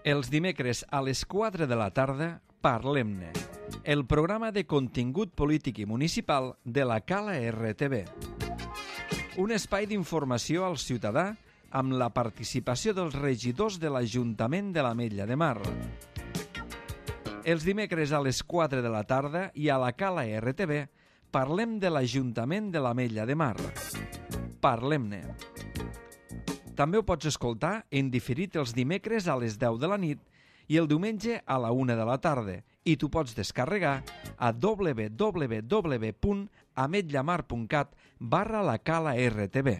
Els dimecres a les 4 de la tarda, Parlem-ne, el programa de contingut polític i municipal de la Cala RTV. Un espai d'informació al ciutadà amb la participació dels regidors de l'Ajuntament de l'Ametlla de Mar. Els dimecres a les 4 de la tarda i a la Cala RTV parlem de l'Ajuntament de l'Ametlla de Mar. Parlem-ne. També ho pots escoltar en diferit els dimecres a les 10 de la nit i el diumenge a la 1 de la tarda i t'ho pots descarregar a www.ametllamar.cat/la-cala-rtb.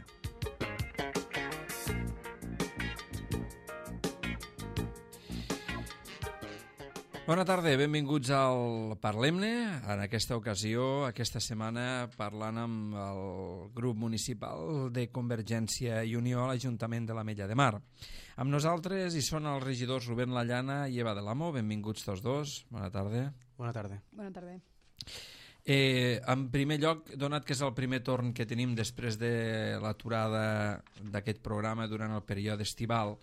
Bona tarda, benvinguts al Parlem-ne. En aquesta ocasió, aquesta setmana, parlant amb el grup municipal de Convergència i Unió a l'Ajuntament de l'Ametlla de Mar. Amb nosaltres hi són els regidors Rubén Lallana i Eva de l'Amo. Benvinguts tots dos. Bona tarda. Bona tarda. Bona tarda. En primer lloc, donat que és el primer torn que tenim després de l'aturada d'aquest programa durant el període estival,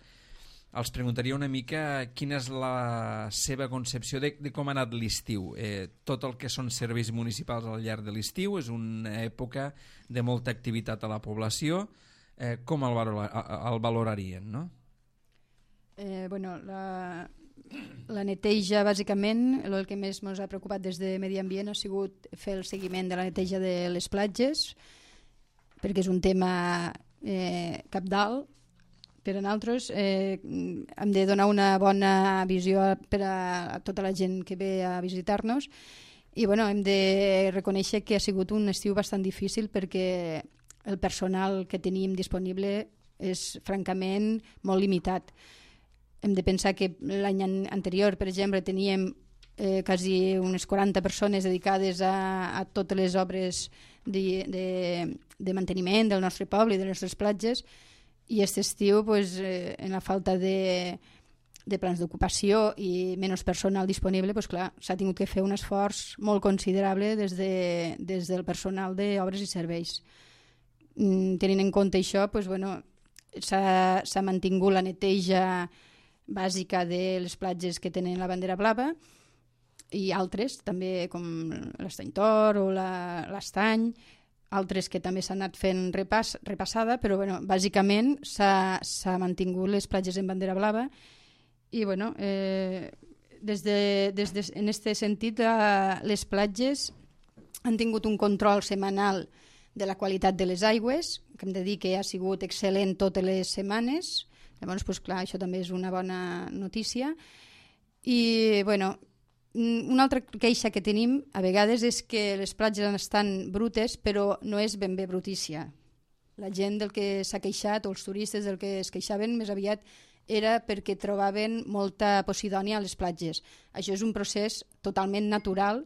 els preguntaria una mica quina és la seva concepció de com ha anat l'estiu. Tot el que són serveis municipals al llarg de l'estiu és una època de molta activitat a la població. Com el valorarien, no? Bueno, la neteja, bàsicament, el que més ens ha preocupat des de Medi Ambient ha sigut fer el seguiment de la neteja de les platges, perquè és un tema cabdal. Per a nosaltres hem de donar una bona visió per a tota la gent que ve a visitar-nos i bueno, hem de reconèixer que ha sigut un estiu bastant difícil perquè el personal que tenim disponible és francament molt limitat. Hem de pensar que l'any anterior, per exemple, teníem quasi unes 40 persones dedicades a totes les obres de manteniment del nostre poble i de les nostres platges. I aquest estiu, en la falta de plans d'ocupació i menys personal disponible, clar, s'ha tingut que fer un esforç molt considerable des del personal d'obres i serveis. Tenint en compte això, s'ha mantingut la neteja bàsica de les platges que tenen la bandera blava i altres, també com l'Estany Tor o l'Estany, altres que també s'han anat fent repassada, però bàsicament s'ha mantingut les platges en bandera blava i en aquest sentit les platges han tingut un control setmanal de la qualitat de les aigües, que hem de dir que ha sigut excel·lent totes les setmanes. Llavors, clar, això també és una bona notícia. I una altra queixa que tenim a vegades és que les platges estan brutes, però no és ben bé brutícia. La gent del que s'ha queixat, o els turistes del que es queixaven, més aviat era perquè trobaven molta posidònia a les platges. Això és un procés totalment natural,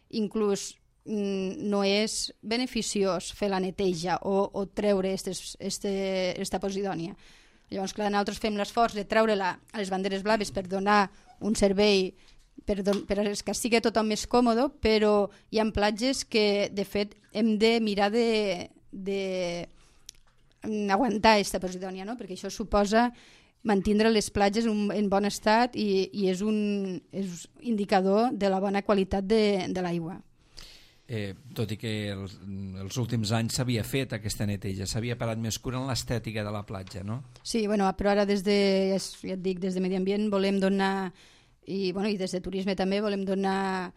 inclús no és beneficiós fer la neteja o treure aquesta posidònia. Llavors, clar, nosaltres fem l'esforç de treure-la a les banderes blaves per donar un servei per que sigui tothom més còmode, però hi ha platges que, de fet, hem de mirar d'aguantar aquesta posidònia, no? Perquè això suposa mantindre les platges en bon estat i és un indicador de la bona qualitat de l'aigua. Tot i que els últims anys s'havia fet aquesta neteja, s'havia parat més cura en l'estètica de la platja, no? Sí, però ara des de Medi Ambient volem donar i des de turisme també volem donar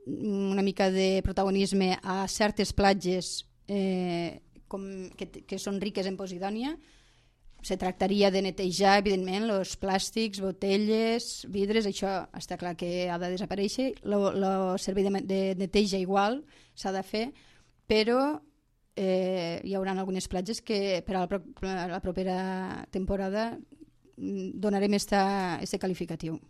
una mica de protagonisme a certes platges que són riques en posidònia. Se tractaria de netejar, evidentment, els plàstics, botelles, vidres, això està clar que ha de desaparèixer. El servei de neteja igual s'ha de fer, però hi haurà algunes platges que per a la propera temporada donarem aquest qualificatiu.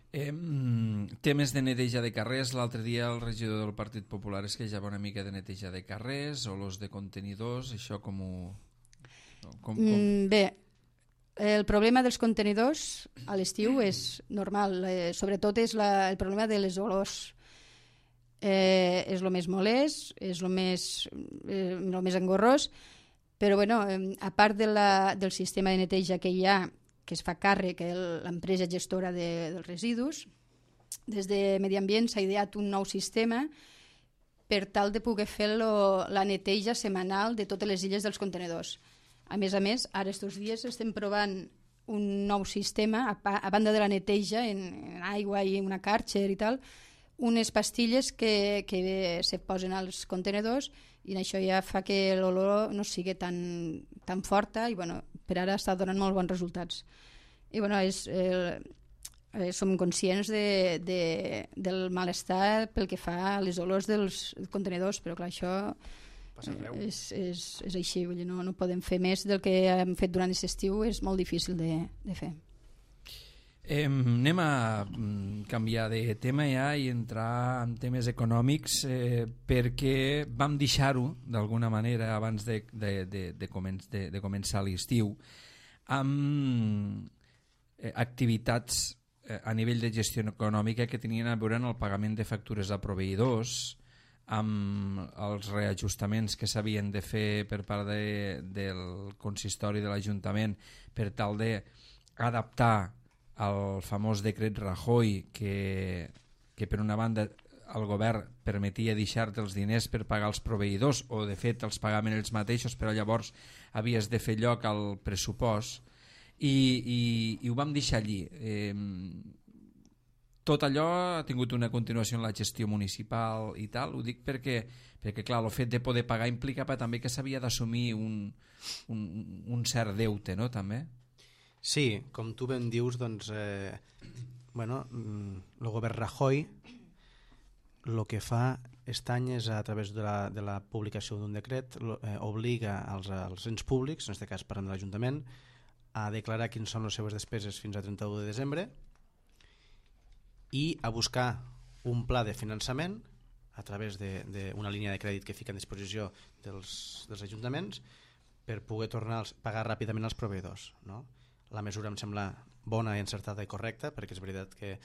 Temes de neteja de carrers. L'altre dia el regidor del Partit Popular es queixava una mica de neteja de carrers o los de contenidors. Això com ho... Bé, el problema dels contenidors a l'estiu és normal, sobretot és el problema de les olors. És el més molest, és el més engorrós, però a part del sistema de neteja que hi ha, que es fa càrrec l'empresa gestora dels residus. Des de Medi Ambient s'ha ideat un nou sistema per tal de poder fer la neteja setmanal de totes les illes dels contenedors. A més, ara estos dies estem provant un nou sistema, a banda de la neteja en aigua i una càrcer i tal, unes pastilles que se posen als contenedors i això ja fa que l'olor no sigui tan forta i per ara està donant molt bons resultats. I som conscients del malestar pel que fa a les olors dels contenidors, però clar, això és així, vull dir, no podem fer més del que hem fet durant aquest estiu, és molt difícil de fer. Anem a canviar de tema ja i entrar en temes econòmics perquè vam deixar-ho d'alguna manera abans de començar l'estiu amb activitats a nivell de gestió econòmica que tenien a veure en el pagament de factures a proveïdors, amb els reajustaments que s'havien de fer per part del consistori de l'Ajuntament per tal d'adaptar al famós decret Rajoy que per una banda el govern permetia deixar-te els diners per pagar els proveïdors o de fet els pagaven ells mateixos, però llavors havies de fer lloc al pressupost i ho vam deixar allí. Tot allò ha tingut una continuació en la gestió municipal i tal, ho dic perquè clar, el fet de poder pagar implicava també que s'havia d'assumir un cert deute, no, també? Sí, com tu ben dius, doncs, el govern Rajoy el que fa aquest any és, a través de la publicació d'un decret, obliga als ens públics, en aquest cas parlant de l'Ajuntament, a declarar quines són les seves despeses fins a 31 de desembre i a buscar un pla de finançament a través d'una línia de crèdit que fica a disposició dels ajuntaments per poder tornar a pagar ràpidament als proveïdors, no? La mesura em sembla bona i encertada i correcta, perquè és veritat que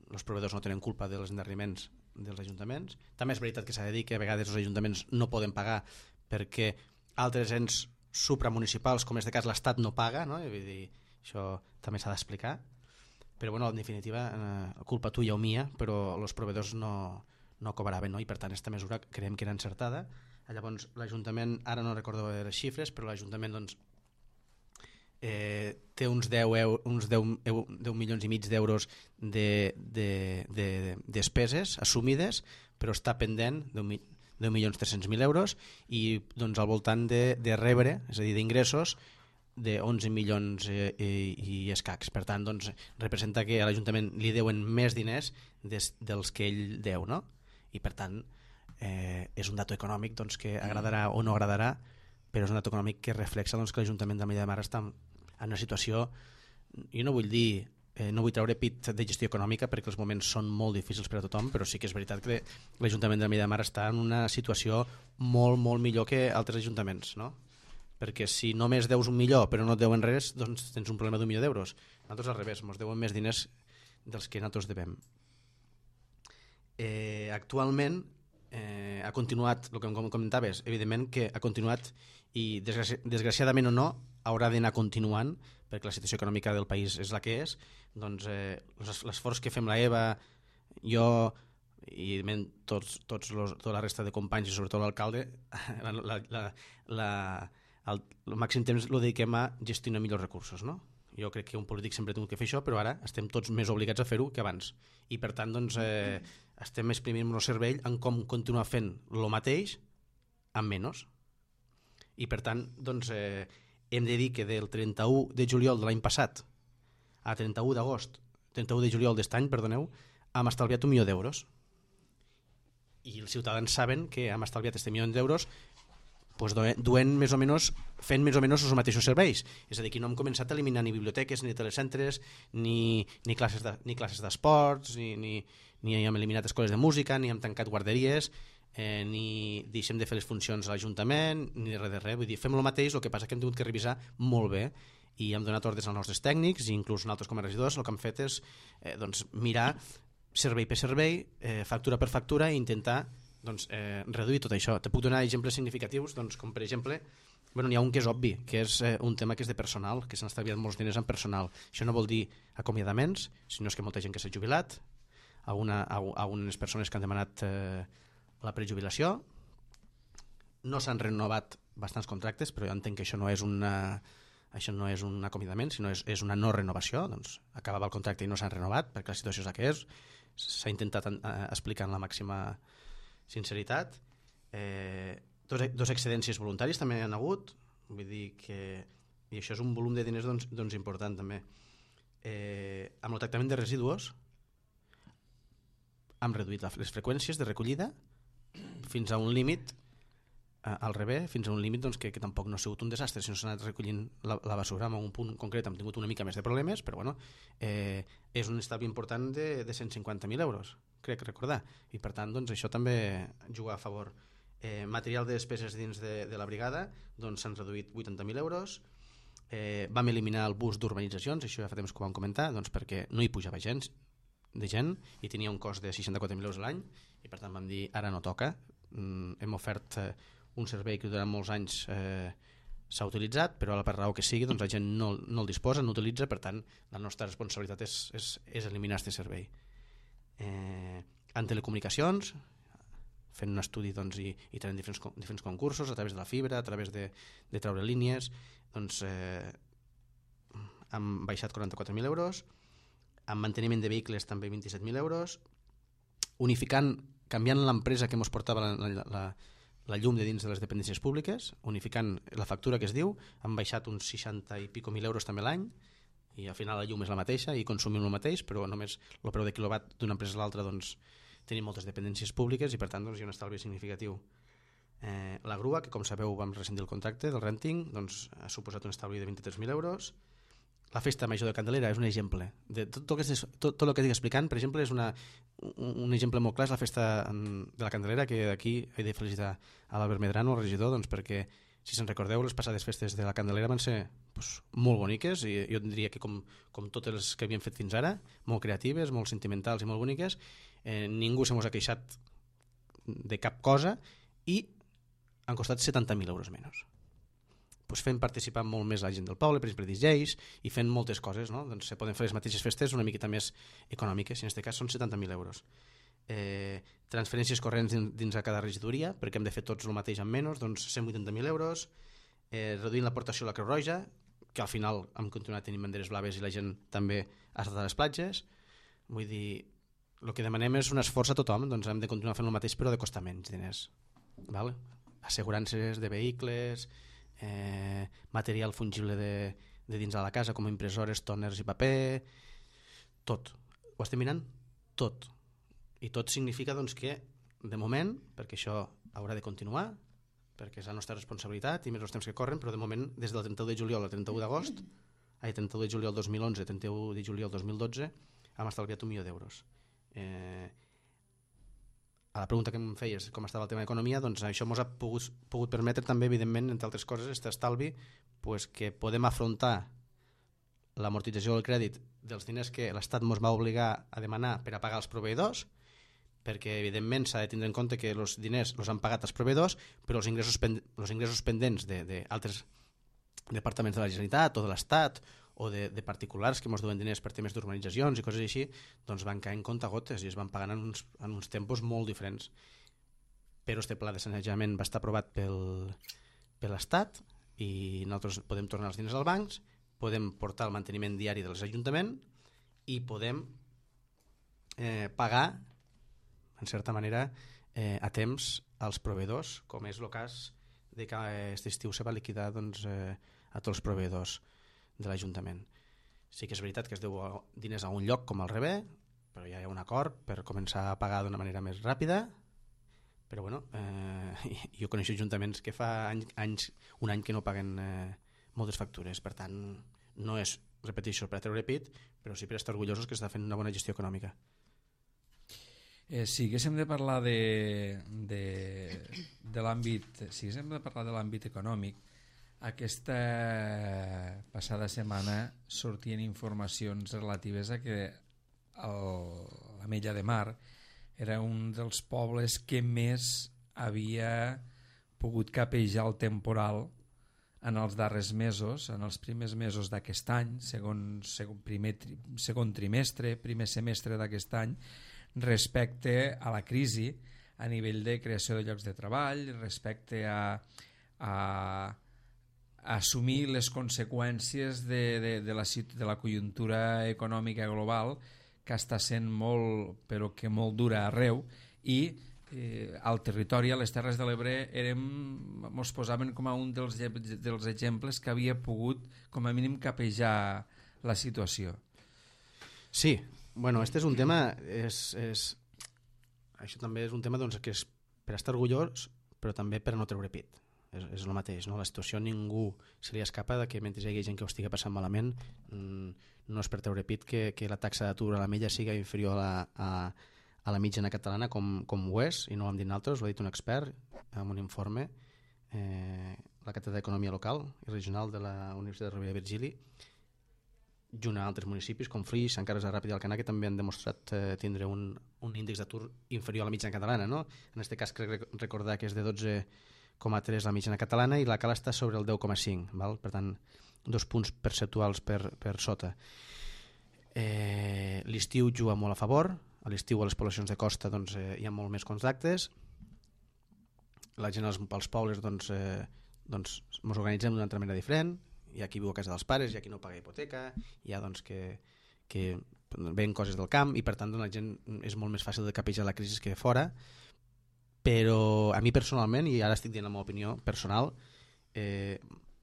els proveïdors no tenen culpa dels endarreriments dels ajuntaments. També és veritat que s'ha de dir que a vegades els ajuntaments no poden pagar perquè altres ens supramunicipals, com en aquest cas l'Estat, no paga, no? Vull dir, això també s'ha d'explicar. Però en definitiva, culpa tuya o mia, però els proveïdors no cobraven, no? I per tant aquesta mesura creiem que era encertada. Llavors l'Ajuntament, ara no recordo les xifres, però l'Ajuntament doncs, té uns 10 milions i mig d'euros de despeses assumides, però està pendent 10.300.000 euros i doncs al voltant de rebre, és a dir, d'ingressos de 11 milions i escacs. Per tant, doncs, representa que a l'Ajuntament li deuen més diners dels que ell deu, no? I per tant és un dato econòmic doncs, que agradarà o no agradarà, però és un dato econòmic que reflexa doncs, que l'Ajuntament de Ametlla de Mar està en una situació, jo no vull dir, no vull treure pit de gestió econòmica perquè els moments són molt difícils per a tothom, però sí que és veritat que l'Ajuntament de Ametlla de Mar està en una situació molt, molt millor que altres ajuntaments, no? Perquè si només deus 1 milió però no et deuen res, doncs tens un problema d'1 milió d'euros. Nosaltres al revés, ens deuen més diners dels que nosaltres devem. Actualment ha continuat, el que em comentaves, evidentment que ha continuat i desgraciadament o no haurà d'anar continuant perquè la situació econòmica del país és la que és. Doncs l'esforç que fem la Eva, jo i tota la resta de companys i sobretot l'alcalde, el màxim temps el dediquem a gestionar millors recursos, no? Jo crec que un polític sempre ha tingut que fer això, però ara estem tots més obligats a fer-ho que abans i per tant doncs, estem exprimint el cervell en com continuar fent el mateix amb menys i per tant doncs, hem de dir que del 31 de juliol de l'any passat a 31 de juliol d'est any, perdoneu, hem estalviat 1 milió d'euros i els ciutadans saben que hem estalviat aquest milió d'euros pues, fent més o menys els mateixos serveis, és a dir, que no hem començat a eliminar ni biblioteques, ni telecentres, ni classes d'esports, ni hem eliminat escoles de música, ni hem tancat guarderies, ni deixem de fer les funcions a l'Ajuntament, ni res de res. Vull dir, fem el mateix, el que passa que hem tingut que revisar molt bé i hem donat ordres als nostres tècnics i inclús nosaltres com a regidors el que hem fet és doncs, mirar servei per servei, factura per factura i intentar doncs, reduir tot això. Te puc donar exemples significatius, doncs, com per exemple Bueno, n'hi ha un que és obvi, que és un tema que és de personal, que s'han estalviat molts diners en personal. Això no vol dir acomiadaments, sinó és que molta gent que s'ha jubilat, algunes persones que han demanat la prejubilació, no s'han renovat bastants contractes, però jo entenc que això no és un acomiadament, sinó és una no renovació. Doncs acabava el contracte i no s'han renovat perquè la situació és la que és. S'ha intentat explicar amb la màxima sinceritat. Dos excedències voluntaris també hi ha hagut, vull dir que, i això és un volum de diners doncs important també. Amb el tractament de residus hem reduït les freqüències de recollida fins a un límit, al revés, fins a un límit doncs, que tampoc no ha sigut un desastre, si no s'ha anat recollint la basura en un punt concret. Hem tingut una mica més de problemes, però bueno, és un estalvi important de 150.000 euros, crec recordar, i per tant doncs, això també juga a favor. Material de despeses dins de la brigada doncs s'han reduït 80.000 euros. Vam eliminar el bus d'urbanitzacions, això ja fa temps que ho vam comentar, doncs perquè no hi pujava gent i tenia un cost de 64.000 euros a l'any, i per tant vam dir ara no toca. Hem ofert un servei que durant molts anys s'ha utilitzat, però per raó que sigui doncs la gent no el disposa, no utilitza, per tant la nostra responsabilitat és eliminar aquest servei. En telecomunicacions, fent un estudi doncs, i tenint diferents concursos a través de la fibra, a través de treure línies, doncs hem baixat 44.000 euros, en manteniment de vehicles també 27.000 euros, canviant l'empresa que ens portava la llum de dins de les dependències públiques, unificant la factura que es diu, hem baixat uns 60 i pico mil euros també l'any, i al final la llum és la mateixa i consumim el mateix, però només el preu de quilowatt d'una empresa a l'altra doncs, tenim moltes dependències públiques i per tant doncs, hi ha un estalvi significatiu. La grua, que com sabeu vam rescindir el contracte del renting, doncs, ha suposat un estalvi de 23.000 euros. La festa major de Candelera és un exemple de tot el que estic explicant. Per exemple, és un exemple molt clar, és la festa de la Candelera, que aquí he de felicitar a l'Albert Medrano, el regidor, doncs, perquè si se'n recordeu, les passades festes de la Candelera van ser doncs, molt boniques, i jo diria que com totes les que havíem fet fins ara, molt creatives, molt sentimentals i molt boniques. Ningú se mos ha queixat de cap cosa i han costat 70.000 euros menys. Pues fent participar molt més la gent del poble, per exemple DJs, i fent moltes coses, no? Doncs se poden fer les mateixes festes una miqueta més econòmiques, i en aquest cas són 70.000 euros. Transferències corrents dins de cada regidoria, perquè hem de fer tots el mateix amb menys, doncs 180.000 euros, reduint l'aportació a la Creu Roja, que al final hem continuat tenint banderes blaves i la gent també ha estat a les platges. Vull dir, el que demanem és un esforç a tothom, doncs hem de continuar fent el mateix però de costar menys diners. Val? Assegurances de vehicles, material fungible de dins de la casa com impressores, tòners i paper, tot. Ho estem mirant? Tot. I tot significa doncs, que de moment, perquè això haurà de continuar, perquè és la nostra responsabilitat i més els temps que corren, però de moment des del 31 de juliol al 31 d'agost, 31 de juliol 2011 31 de juliol 2012 hem estalviat 1 milió d'euros. A la pregunta que em feies, com estava el tema d'economia, doncs això ens ha pogut permetre també, evidentment, entre altres coses, aquest estalvi, pues, que podem afrontar l'amortització del crèdit dels diners que l'Estat ens va obligar a demanar per a pagar els proveïdors, perquè evidentment s'ha de tindre en compte que els diners els han pagat els proveïdors, però els ingressos pendents d'altres departaments de la Generalitat o de l'Estat o de particulars que ens duen diners per temes d'urbanitzacions i coses així, doncs van caer en comptagotes i es van pagant en uns tempos molt diferents. Però este pla de sanejament va estar aprovat per l'Estat i nosaltres podem tornar els diners als bancs, podem portar el manteniment diari dels ajuntaments i podem pagar, en certa manera, a temps als proveïdors, com és el cas de que aquest estiu se va liquidar doncs, a tots els proveïdors de l'Ajuntament. Sí que és veritat que es deu diners a un lloc com al Rebé, però ja hi ha un acord per començar a pagar d'una manera més ràpida, però bueno, jo coneixo ajuntaments que fa un any que no paguen moltes factures, per tant no és, repeteixo, per a treure pit, però sí per estar orgullosos que està fent una bona gestió econòmica. Si haguéssim de parlar de l'àmbit econòmic, aquesta passada setmana sortien informacions relatives a que l'Ametlla de Mar era un dels pobles que més havia pogut capejar el temporal en els darrers mesos, en els primers mesos d'aquest any, segon trimestre, primer semestre d'aquest any, respecte a la crisi a nivell de creació de llocs de treball, respecte a assumir les conseqüències de la conjuntura econòmica global, que està sent molt, però que molt dura arreu, i al territori, a les Terres de l'Ebre, ens posaven com a un dels exemples que havia pogut, com a mínim, capejar la situació. Sí, bueno, este és un tema, això també és un tema doncs, que és per estar orgullós, però també per no treure pit. És el mateix, no? La situació ningú se li escapa de que mentre hi hagi gent que ho estigui passant malament, no és per treure pit que la taxa d'atur a la milla siga inferior a la mitjana catalana com ho és, i no ho hem dit nosaltres, ho ha dit un expert en un informe, la Càtedra d'Economia Local i Regional de la Universitat de Rovira i Virgili, junt a altres municipis com Flix, Sant Carles de Ràpita i Alcanar, que també han demostrat tindre un índex d'atur inferior a la mitjana catalana, no? En aquest cas crec recordar que és de 12,3 la mitjana catalana i la Cala està sobre el 10,5, val? Per tant 2 punts percentuals per sota. L'estiu juga molt a favor, a l'estiu a les poblacions de costa doncs, hi ha molt més contactes, la gent als pobles doncs, ens organitzem d'una altra manera diferent, hi ha qui viu a casa dels pares, hi ha qui no paga hipoteca, hi ha doncs, que ven coses del camp i per tant la gent és molt més fàcil de capejar la crisi que fora, però a mi personalment, i ara estic dient la meva opinió personal,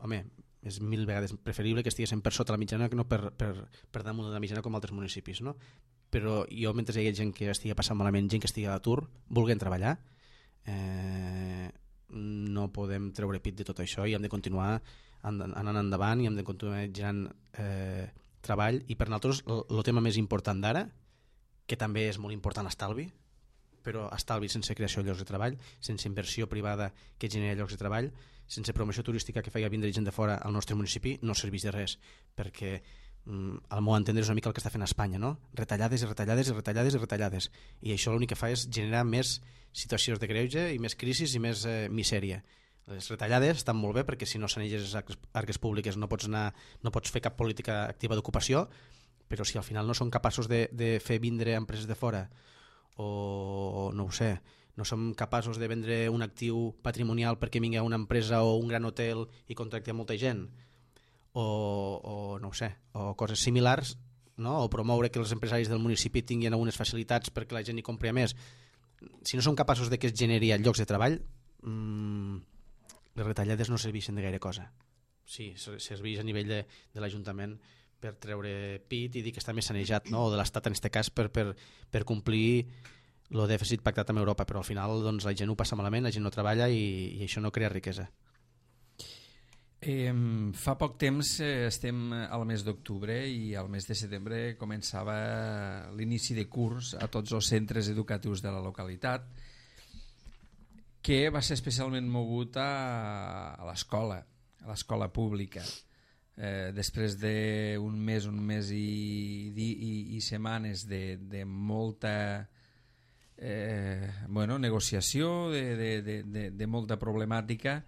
home, és 1000 vegades preferible que estiguessin per sota la mitjana que no per damunt de la mitjana com altres municipis, no? Però jo, mentre hi ha gent que estigui passant malament, gent que estigui a l'atur, vulguin treballar, no podem treure pit de tot això i hem de continuar anant endavant i hem de continuar generant treball. I per nosaltres el tema més important d'ara, que també és molt important l'estalvi, però estalvi sense creació de llocs de treball, sense inversió privada que generi llocs de treball, sense promoció turística que faci vindre gent de fora al nostre municipi, no serveix de res, perquè al meu entendre és una mica el que està fent Espanya, no? Retallades i retallades i retallades i retallades, i això l'únic que fa és generar més situacions de greuge i més crisis i més misèria. Les retallades estan molt bé perquè si no saneixes les arques públiques no pots fer cap política activa d'ocupació, però si al final no són capaços de fer vindre empreses de fora o no ho sé, no som capaços de vendre un actiu patrimonial perquè vingui una empresa o un gran hotel i contracti molta gent o no ho sé, o coses similars, no? O promoure que els empresaris del municipi tinguin algunes facilitats perquè la gent hi compri més. Si no som capaços de que es generi llocs de treball, les retallades no serveixen de gaire cosa. Sí, serveix a nivell de l'Ajuntament per treure pit i dir que està més sanejat, no? O de l'Estat en aquest cas per complir el dèficit pactat amb Europa, però al final doncs, la gent ho passa malament, la gent no treballa i això no crea riquesa. Fa poc temps estem al mes d'octubre i al mes de setembre començava l'inici de curs a tots els centres educatius de la localitat, que va ser especialment mogut a l'escola pública. Després d'un mes i setmanes de molta negociació, de molta problemàtica,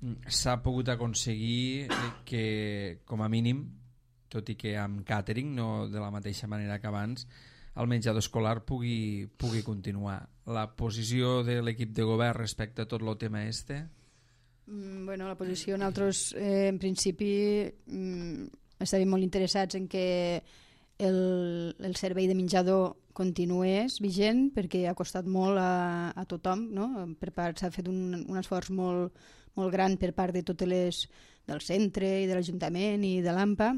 s'ha pogut aconseguir que, com a mínim, tot i que amb càtering, no de la mateixa manera que abans, el menjador escolar pugui continuar. La posició de l'equip de govern respecte a tot el tema este? Bueno, la posició nosaltres en principi estàvem molt interessats en que el servei de menjador continués vigent perquè ha costat molt a tothom, no? S'ha fet un esforç molt gran per part de totes les del centre i de l'Ajuntament i de l'AMPA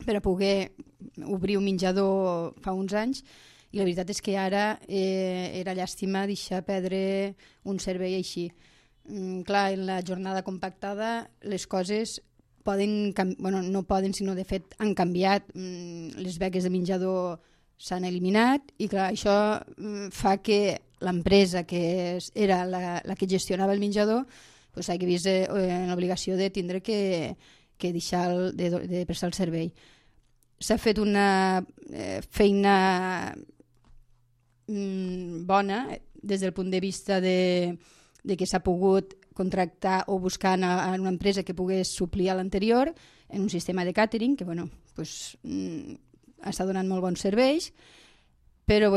per a poder obrir un menjador fa uns anys, i la veritat és que ara era llàstima deixar perdre un servei així. Clar, en la jornada compactada les coses no poden, sinó de fet han canviat. Les beques de menjador s'han eliminat i clar, això fa que l'empresa que era la que gestionava el menjador s'hagi vist en l'obligació de tindre que deixar de prestar el servei. S'ha fet una feina bona des del punt de vista de que s'ha pogut contractar o buscar en una empresa que pogués suplir a l'anterior en un sistema de càtering que està donant molt bons serveis, però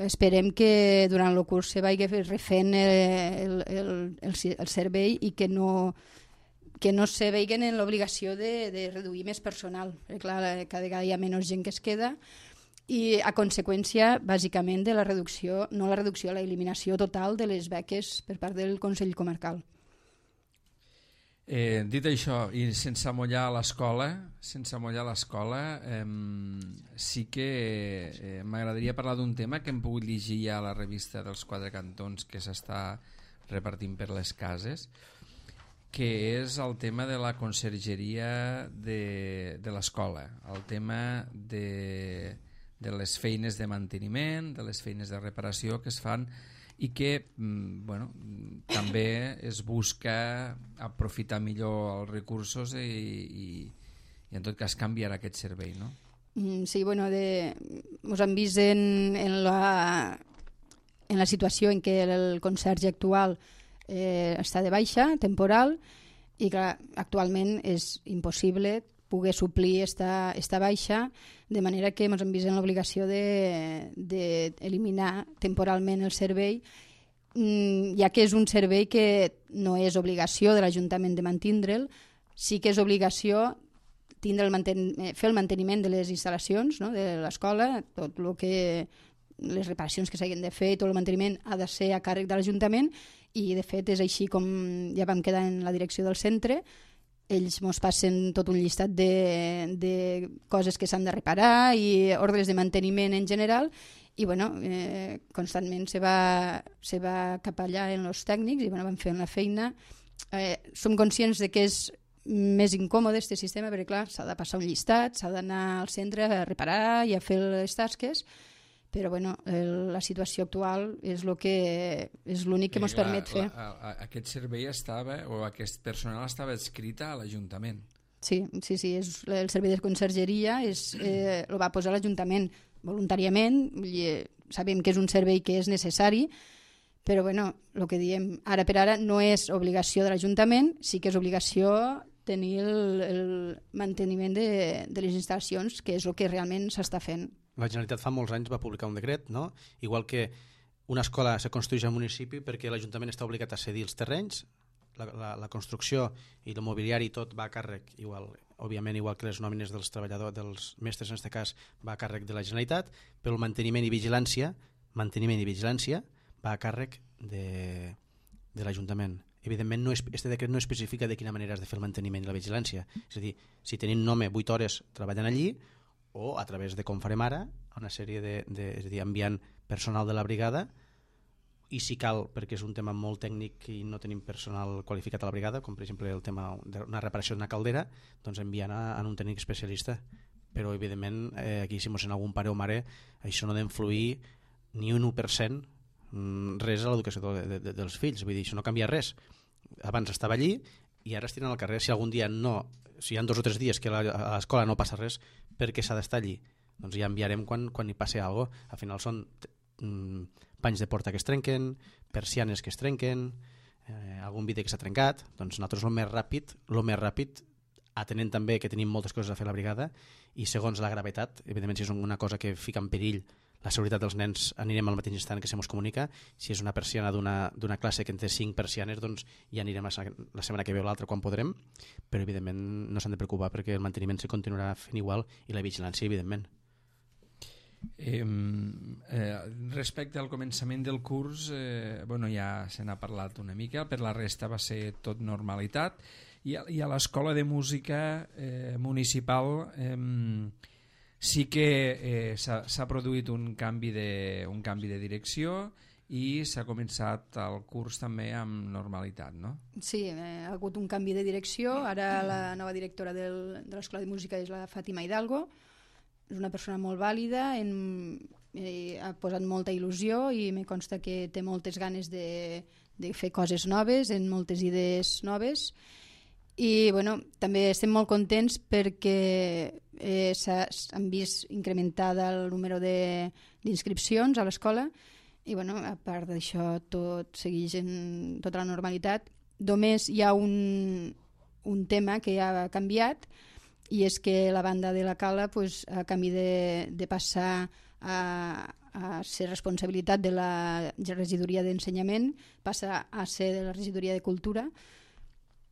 esperem que durant el curs se vagi refent el servei i que no se vegin en l'obligació de reduir més personal, perquè clar, cada vegada hi ha menys gent que es queda i a conseqüència bàsicament de la reducció, l'eliminació total de les beques per part del Consell Comarcal. Dit això, i sense amollar l'escola, sí que m'agradaria parlar d'un tema que hem pogut llegir ja a la revista dels Quatre Cantons que s'està repartint per les cases, que és el tema de la consergeria de l'escola, el tema de les feines de manteniment, de les feines de reparació que es fan i que també es busca aprofitar millor els recursos i en tot cas canviar aquest servei, no? Sí, ens hem vist en la situació en què el conserge actual està de baixa, temporal, i clar, actualment és impossible poder suplir esta baixa, de manera que ens hem vist en l'obligació d'eliminar temporalment el servei, ja que és un servei que no és obligació de l'Ajuntament de mantindre'l, sí que és obligació fer el manteniment de les instal·lacions, no?, de l'escola, tot el que les reparacions que s'hagin de fer, tot el manteniment ha de ser a càrrec de l'Ajuntament i de fet és així com ja vam quedar en la direcció del centre. Ells ens passen tot un llistat de coses que s'han de reparar i ordres de manteniment en general i constantment se va cap allà en els tècnics i van fent la feina. Som conscients de que és més incòmode aquest sistema perquè clar, s'ha de passar un llistat, s'ha d'anar al centre a reparar i a fer les tasques, però la situació actual és l'únic que ens permet fer. Aquest servei aquest personal estava adscrit a l'Ajuntament. Sí, el servei de consergeria el va posar l'Ajuntament voluntàriament, sabem que és un servei que és necessari, però el que diem ara per ara no és obligació de l'Ajuntament, sí que és obligació tenir el manteniment de les instal·lacions, que és el que realment s'està fent. La Generalitat fa molts anys va publicar un decret, no? Igual que una escola se construeix al municipi perquè l'Ajuntament està obligat a cedir els terrenys, la construcció i el mobiliari tot va a càrrec, òbviament igual que les nòmines dels treballadors, dels mestres en aquest cas, va a càrrec de la Generalitat, però el manteniment i vigilància va a càrrec de l'Ajuntament. Evidentment, aquest decret no especifica de quina manera has de fer el manteniment i la vigilància. És a dir, si tenim un home 8 hores treballant allí, o a través de com farem ara, una sèrie és a dir, enviant personal de la brigada, i si cal, perquè és un tema molt tècnic i no tenim personal qualificat a la brigada, com per exemple el tema d'una reparació d'una caldera, doncs enviant a un tècnic especialista. Però evidentment, aquí si mos sent algun pare o mare, això no ha d'influir ni un 1% res a l'educació dels fills, vull dir, això no canvia res. Abans estava allí i ara es tiren al carrer. Si algun dia si hi ha 2 o 3 dies que a l'escola no passa res, per què s'ha d'estar allí? Doncs ja enviarem quan hi passi alguna cosa. Al final són panys de porta que es trenquen, persianes que es trenquen, algun vidre que s'ha trencat. Doncs nosaltres el més ràpid, atenent també que tenim moltes coses a fer a la brigada i segons la gravetat, evidentment si és una cosa que fica en perill la seguretat dels nens, anirem al mateix instant que se mos comunica. Si és una persiana d'una classe que en té 5 persianes, doncs ja anirem la setmana que ve o l'altra quan podrem, però evidentment no s'han de preocupar perquè el manteniment se continuarà fent igual i la vigilància, evidentment. Respecte al començament del curs, ja se n'ha parlat una mica, per la resta va ser tot normalitat, i a l'escola de música municipal sí que s'ha produït un canvi de direcció i s'ha començat el curs també amb normalitat, no? Sí, ha hagut un canvi de direcció. Ara la nova directora de l'escola de música és la Fàtima Hidalgo. És una persona molt vàlida, ha posat molta il·lusió i me consta que té moltes ganes de fer coses noves, en moltes idees noves. I també estem molt contents perquè s'han vist incrementada el número d'inscripcions a l'escola i bueno, a part d'això tot segueix en tota la normalitat. Només hi ha un tema que ha canviat, i és que la banda de la Cala, pues, a canvi de passar a ser responsabilitat de la regidoria d'ensenyament, passa a ser de la regidoria de cultura.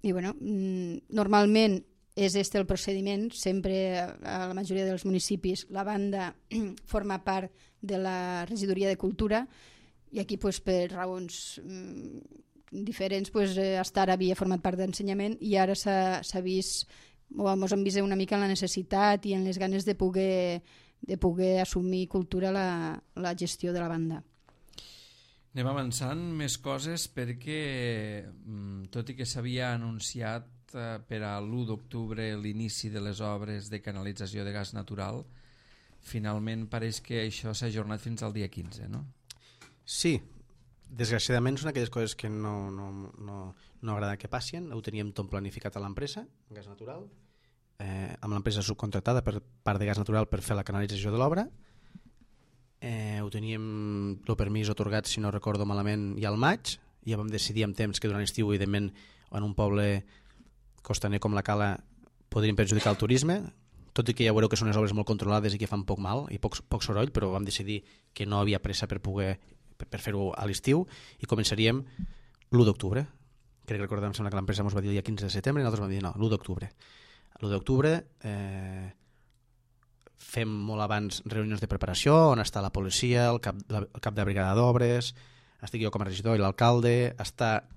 I bueno, normalment és el procediment, sempre a la majoria dels municipis la banda forma part de la regidoria de cultura, i aquí pues, per raons diferents pues, hasta ara havia format part d'ensenyament, i ara s'ha vist, o ens hem vist una mica en la necessitat i en les ganes de poder assumir cultura la gestió de la banda. Anem avançant més coses perquè, tot i que s'havia anunciat per a l'1 d'octubre l'inici de les obres de canalització de gas natural, finalment pareix que això s'ha ajornat fins al dia 15, no? Sí, desgraciadament són aquelles coses que no agrada que passin. Ho teníem tot planificat a l'empresa, gas natural, amb l'empresa subcontratada per part de gas natural per fer la canalització de l'obra. Ho teníem el permís atorgat, si no recordo malament, ja al maig. Ja vam decidir amb temps que durant l'estiu, evidentment, en un poble costaner com la Cala podrien perjudicar el turisme, tot i que ja veureu que són unes obres molt controlades i que fan poc mal i poc soroll, però vam decidir que no havia pressa per fer-ho a l'estiu, i començaríem l'1 d'octubre. Crec que recordem, sembla que l'empresa ens va dir el dia 15 de setembre i nosaltres vam dir no, l'1 d'octubre. L'1 d'octubre fem molt abans reunions de preparació on està la policia, el cap de brigada d'obres, estic jo com a regidor i l'alcalde, està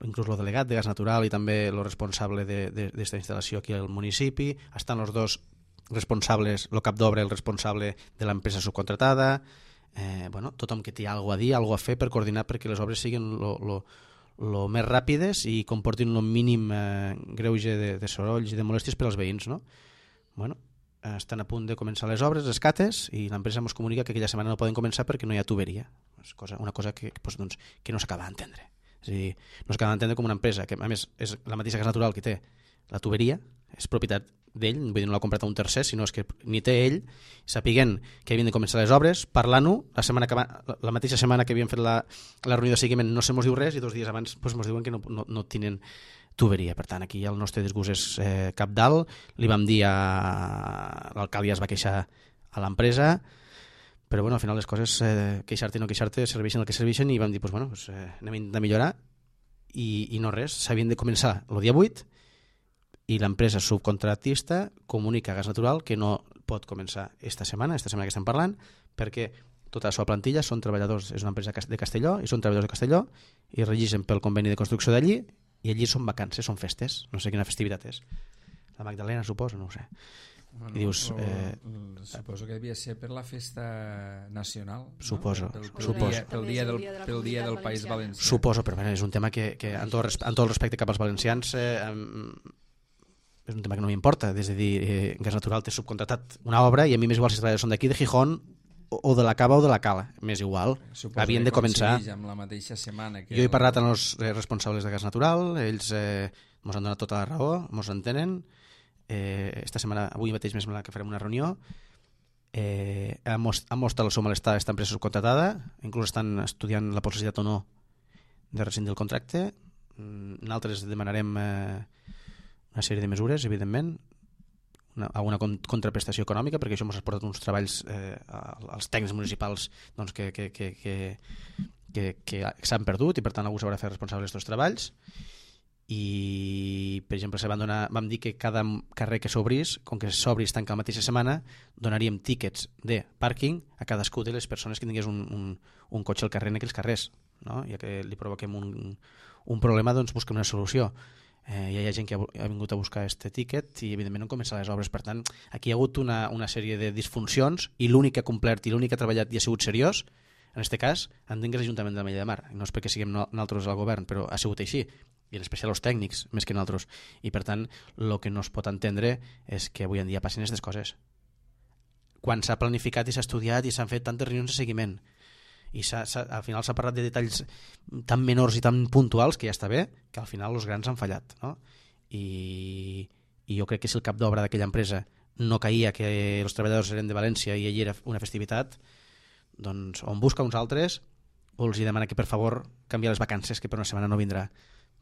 inclús el delegat de gas natural i també el responsable d'esta instal·lació aquí al municipi, estan els dos responsables, el cap d'obra, el responsable de l'empresa subcontratada, tothom que té alguna a dir, alguna a fer per coordinar perquè les obres siguin lo més ràpides i comportin el mínim greuge de sorolls i de molèsties per als veïns, no? Estan a punt de començar les obres, les cates, i l'empresa ens comunica que aquella setmana no poden començar perquè no hi ha tuberia. És una cosa que no s'acaba d'entendre. És a dir, no s'acaba d'entendre com una empresa que, a més, és la mateixa gas natural que té la tuberia, és propietat d'ell, vull dir, no l'ha comprat a un tercer, sinó és que ni té ell, sapiguent que havien de començar les obres, parlant-ho, la mateixa setmana que havien fet la reunió de seguiment no se mos diu res, i 2 dies abans mos diuen que no tenen tuberia. Per tant, aquí el nostre disgust és cabdal. Li vam dir l'alcalde, ja es va queixar a l'empresa, però al final les coses, queixar-te i no queixar-te, serveixen el que serveixen, i vam dir, anem a intentar millorar, i no res, s'havien de començar el dia 8, i l'empresa subcontratista comunica a Gas Natural que no pot començar esta setmana que estem parlant, perquè tota la seva plantilla són treballadors, és una empresa de Castelló, i són treballadors de Castelló, i regeixen pel conveni de construcció d'allí, i allí són vacances, són festes, no sé quina festivitat és. La Magdalena, suposo, no ho sé. Bueno, i dius, suposo que devia ser per la festa nacional, suposo, no? Pel dia del País Valencià. Suposo, però és un tema que amb tot el respecte cap als valencians és un tema que no m'importa. És a dir, Gas Natural té subcontratat una obra i a mi m'és igual si els treballadors són d'aquí, de Gijón, o de la Cava o de la Cala, m'és igual. Havien de començar amb la mateixa setmana que jo he parlat amb els responsables de Gas Natural, ells ens han donat tota la raó, ens entenen. Esta setmana, avui mateix més que farem una reunió, han mostrat el seu malestar a aquesta empresa subcontratada, inclús estan estudiant la possibilitat o no de rescindir el contracte. Nosaltres demanarem una sèrie de mesures, evidentment, alguna contraprestació econòmica, perquè això ens ha portat uns treballs als tècnics municipals que s'han perdut, i per tant algú s'haurà de fer responsable d'aquests treballs. I per exemple vam dir que cada carrer que s'obrís, com que s'obris tanca la mateixa setmana, donaríem tíquets de pàrquing a cadascú de les persones que tingués un cotxe al carrer en aquells carrers, no? Ja que li provoquem un problema, doncs busquem una solució. Ja hi ha gent que ha vingut a buscar aquest tíquet i evidentment no han començat les obres. Per tant, aquí hi ha hagut una sèrie de disfuncions, i l'únic que ha complert i l'únic que ha treballat i ha sigut seriós, en aquest cas, entenc que és l'Ajuntament de Mella de Mar. No és perquè siguem nosaltres al govern, però ha sigut així, i en especial els tècnics, més que nosaltres. I per tant, el que no es pot entendre és que avui en dia passin aquestes coses. Quan s'ha planificat i s'ha estudiat i s'han fet tantes reunions de seguiment, i al final s'ha parlat de detalls tan menors i tan puntuals que ja està bé, que al final els grans han fallat, no? I jo crec que si el cap d'obra d'aquella empresa no caïa que els treballadors eren de València i allí era una festivitat, doncs on busca uns altres o els demana que per favor canviar les vacances, que per una setmana no vindrà.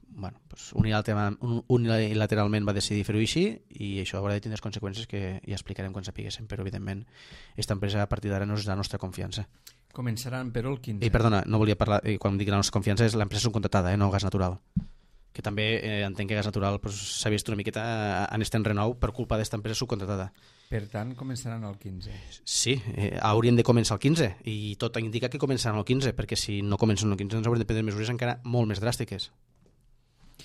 Bueno, doncs unilateralment va decidir fer-ho així i això haurà de tindre conseqüències que ja explicarem quan sapiguéssim, però evidentment aquesta empresa a partir d'ara no és la nostra confiança. Començaran, però, el 15. I perdona, no volia parlar, quan dic la nostra confiança és l'empresa subcontratada, no Gas Natural, que també entenc que Gas Natural s'ha vist una miqueta en este enrenou per culpa d'esta empresa subcontratada. Per tant, començaran el 15. Sí, haurien de començar el 15 i tot indica que començaran el 15, perquè si no comencen el 15 ens haurem de prendre mesures encara molt més dràstiques.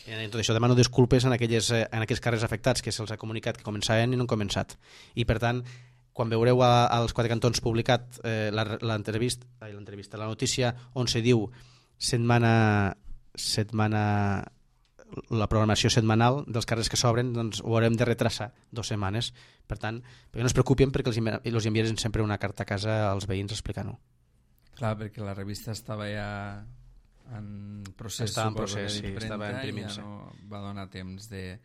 En tot això demano disculpes en aquells carrers afectats que se'ls ha comunicat que començaven i no han començat. I per tant, quan veureu als Quatre Cantons publicat la notícia on se diu la programació setmanal dels carrers que s'obren, doncs ho haurem de retrasar 2 setmanes. Per tant, perquè no es preocupen, perquè els enviarem sempre una carta a casa als veïns explicant-ho. Clar, perquè la revista estava ja en procés, estava en imprimint-se. Ja no va donar temps de...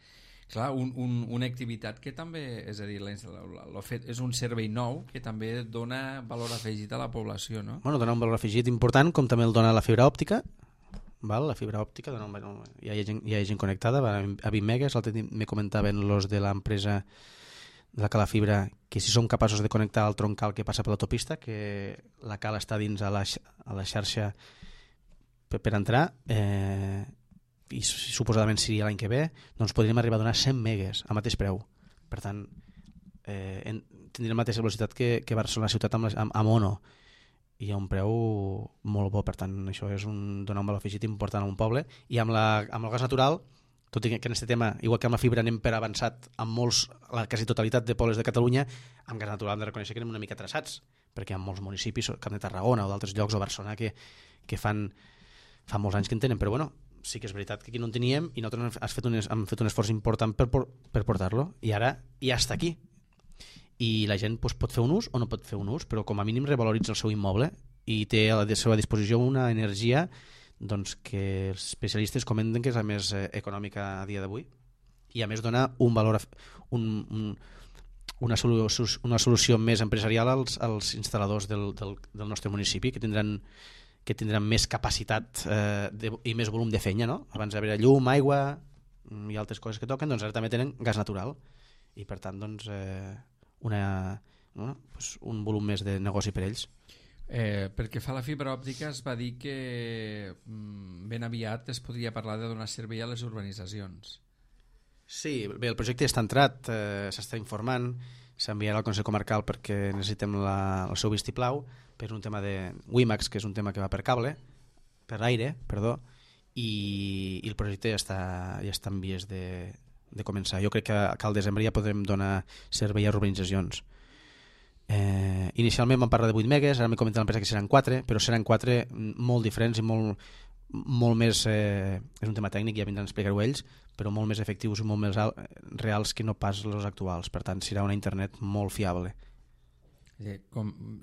Clar, una activitat que també, és a dir, és un servei nou que també dona valor afegit a la població, no? Bueno, dona un valor afegit important, com també el dona la fibra òptica. Val? La fibra òptica, ja hi ha gent connectada a 20 megas. L'altre dia me comentaven los de l'empresa de la Cala Fibra que si són capaços de connectar el troncal que passa per l'autopista, que la Cala està dins a la xarxa per entrar, i suposadament seria l'any que ve, doncs podríem arribar a donar 100 megas a mateix preu. Per tant, tindrem la mateixa velocitat que Barcelona ciutat amb Ono, i a un preu molt bo. Per tant, això és donar un valor afegit important a un poble. I amb el gas natural, tot i que en aquest tema, igual que amb la fibra anem per avançat amb la quasi totalitat de pobles de Catalunya, amb gas natural hem de reconèixer que anem una mica atrasats, perquè hi ha molts municipis, com de Tarragona o d'altres llocs, o Barcelona, que fa molts anys que en tenen, però bueno, sí que és veritat que aquí no en teníem i nosaltres hem fet un esforç important per portar-lo, i ara ja està aquí. I la gent pot fer un ús o no pot fer un ús, però com a mínim revaloritza el seu immoble i té a la seva disposició una energia doncs, que els especialistes comenten que és la més econòmica a dia d'avui, i a més dona un valor, una solució més empresarial als instal·ladors del nostre municipi, que tindran més capacitat i més volum de feina, no? Abans hi havia llum, aigua i altres coses que toquen, doncs ara també tenen gas natural, i per tant doncs un volum més de negoci per ells. Perquè fa la fibra òptica es va dir que ben aviat es podria parlar de donar servei a les urbanitzacions. Sí, bé, el projecte ja està entrat, s'està informant, s'enviarà al Consell Comarcal perquè necessitem el seu vistiplau per un tema de WiMAX, que és un tema que va per aire, i el projecte ja està en vies de començar. Jo crec que al desembre ja podrem donar servei a urbanitzacions. Inicialment vam parlar de 8 megas, ara m'he comentat l'empresa que seran 4, però seran 4 molt diferents i molt més, és un tema tècnic, ja vindran a explicar-ho ells, però molt més efectius i molt més reals que no pas els actuals. Per tant, serà una internet molt fiable.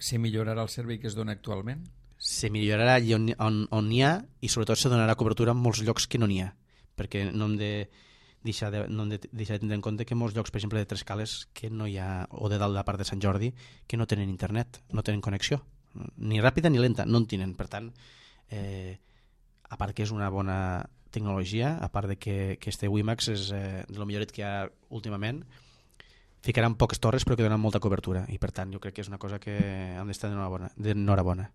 Se millorarà el servei que es dona actualment? Se millorarà on n'hi ha, i sobretot se donarà cobertura en molts llocs que no n'hi ha, perquè no hem de deixar de tindre en compte que molts llocs, per exemple de Trescales, que no hi ha, o de dalt de la part de Sant Jordi, que no tenen internet, no tenen connexió, ni ràpida ni lenta, no en tenen. Per tant, a part que és una bona tecnologia, a part de que este WiMAX és de lo milloret que hi ha últimament, ficaran poques torres però que donen molta cobertura, i per tant jo crec que és una cosa que hem d'estar d'enhorabona.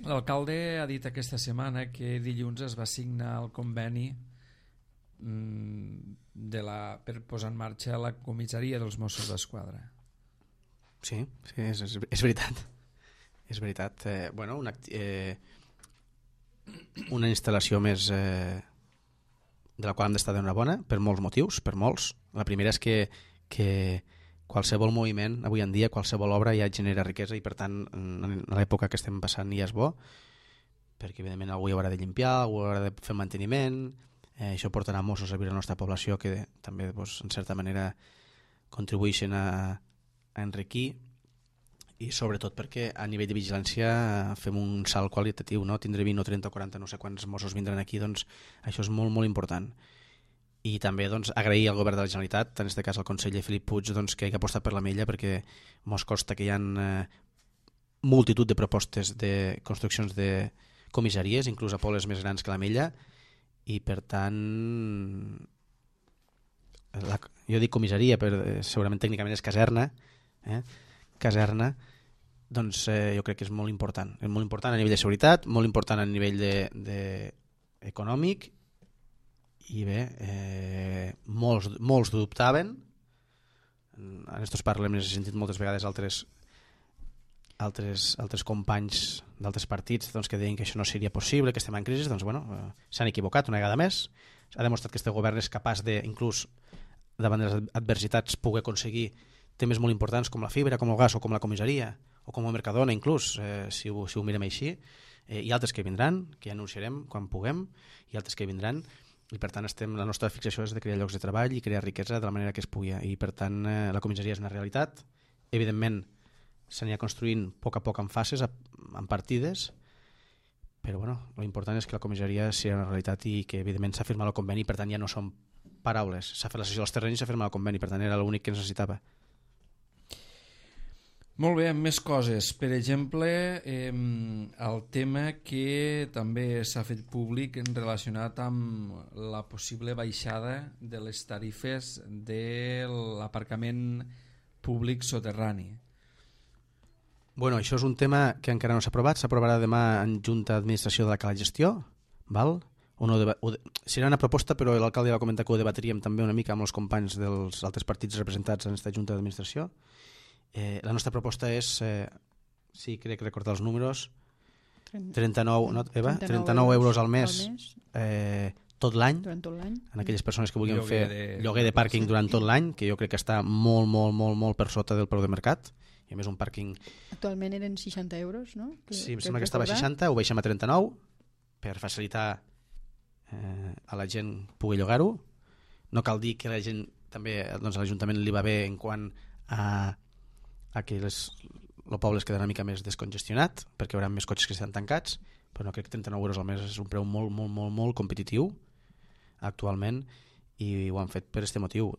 L'alcalde ha dit aquesta setmana que dilluns es va signar el conveni per posar en marxa la comissaria dels Mossos d'Esquadra. Sí, és veritat. És veritat. Bueno, una instal·lació més de la qual hem d'estar d'enhorabona per molts motius, per molts. La primera és que qualsevol moviment, avui en dia, qualsevol obra ja genera riquesa, i per tant, en l'època que estem passant ja és bo, perquè evidentment algú haurà de limpiar, algú haurà de fer manteniment, això portarà Mossos a viure a la nostra població, que també, en certa manera, contribueixen a enriquir, i sobretot perquè a nivell de vigilància fem un salt qualitatiu, no? Tindre 20 o 30 o 40, no sé quants Mossos vindran aquí, doncs això és molt, molt important. i també doncs, agrair al govern de la Generalitat, en aquest cas al conseller Felip Puig, doncs, que hagi apostat per l'Ametlla, perquè mos consta que hi ha multitud de propostes de construccions de comissaries, inclús a pobles més grans que l'Ametlla, i per tant jo dic comissaria, però segurament tècnicament és caserna, caserna, doncs jo crec que és molt important a nivell de seguretat, molt important a nivell econòmic, i bé, molts dubtaven, en aquests parlem, he sentit moltes vegades altres companys d'altres partits doncs, que deien que això no seria possible, que estem en crisi, doncs bueno, s'han equivocat una vegada més, ha demostrat que este govern és capaç de, inclús davant de les adversitats, poder aconseguir temes molt importants com la fibra, com el gas o com la comissaria o com el Mercadona inclús, si ho mirem així, i altres que vindran, que ja anunciarem quan puguem, i altres que vindran, i per tant la nostra fixació és de crear llocs de treball i crear riquesa de la manera que es pugui, i per tant la comissaria és una realitat, evidentment s'anirà construint a poc en fases, en partides, però bueno, l'important és que la comissaria sigui una realitat i que evidentment s'ha firmat el conveni, per tant ja no són paraules, s'ha fet la sessió dels terrenys i s'ha firmat el conveni, per tant era l'únic que necessitava. Molt bé, més coses. Per exemple, el tema que també s'ha fet públic relacionat amb la possible baixada de les tarifes de l'aparcament públic soterrani. Bueno, això és un tema que encara no s'ha aprovat, s'aprovarà demà en Junta d'Administració de la Cala Gestió, val? Serà una proposta, però l'alcalde va comentar que ho debatríem també una mica amb els companys dels altres partits representats en aquesta Junta d'Administració. La nostra proposta és, sí, crec recordar els números, 39, no, Eva? 39 euros al mes tot l'any, en aquelles persones que vulguin fer lloguer de pàrquing durant tot l'any, que jo crec que està molt per sota del preu de mercat, i a més un pàrquing... Actualment eren 60 euros, no? Sí, em sembla que estava a 60, ho baixem a 39 per facilitar a la gent pugui llogar-ho. No cal dir que la gent també, doncs a l'Ajuntament li va bé en quant a que el poble es quedarà una mica més descongestionat perquè hi haurà més cotxes que estan tancats, però no crec que 39 euros al mes és un preu molt competitiu actualment, i ho han fet per aquest motiu.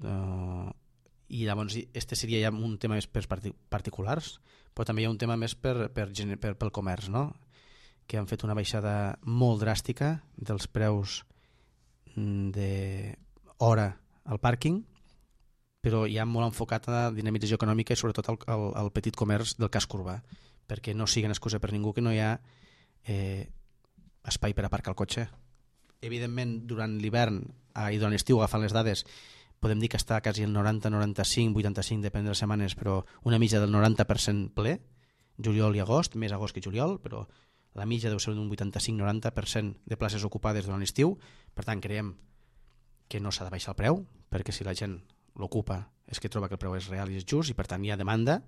I llavors este seria ja un tema més per particulars, però també hi ha un tema més pel comerç, no? Que han fet una baixada molt dràstica dels preus d'hora al pàrquing, però ja molt enfocat a la dinamització econòmica i sobretot al petit comerç del casc urbà, perquè no sigui una excusa per ningú que no hi ha espai per aparcar el cotxe. Evidentment, durant l'hivern i durant l'estiu, agafant les dades, podem dir que està quasi el 90, 95, 85, depèn de les setmanes, però una mitja del 90% ple, juliol i agost, més agost que juliol, però la mitja deu ser d'un 85-90% de places ocupades durant l'estiu. Per tant, creiem que no s'ha de baixar el preu, perquè si la gent l'ocupa és que troba que el preu és real i és just, i per tant hi ha demanda,